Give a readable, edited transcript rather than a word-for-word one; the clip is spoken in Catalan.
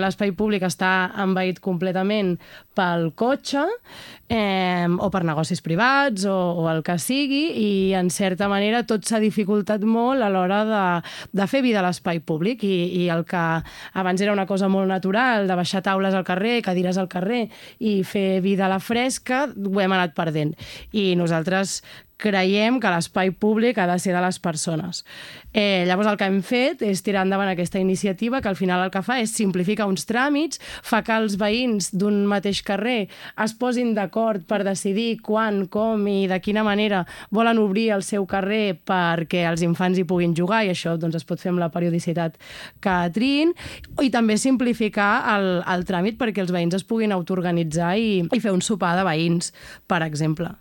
L'espai públic està envaït completament pel cotxe o per negocis privats o el que sigui, i en certa manera tot s'ha dificultat molt a l'hora de fer vida a l'espai públic, i el que abans era una cosa molt natural, de baixar taules al carrer, cadires al carrer i fer vida a la fresca, ho hem anat perdent. I nosaltres creiem que l'espai públic ha de ser de les persones. Llavors el que hem fet és tirar endavant aquesta iniciativa, que al final el que fa és simplificar uns tràmits, fa que els veïns d'un mateix carrer es posin d'acord per decidir quan, com i de quina manera volen obrir el seu carrer perquè els infants hi puguin jugar, i això doncs, es pot fer amb la periodicitat que triïn, i també simplificar el tràmit perquè els veïns es puguin autoorganitzar i fer un sopar de veïns, per exemple.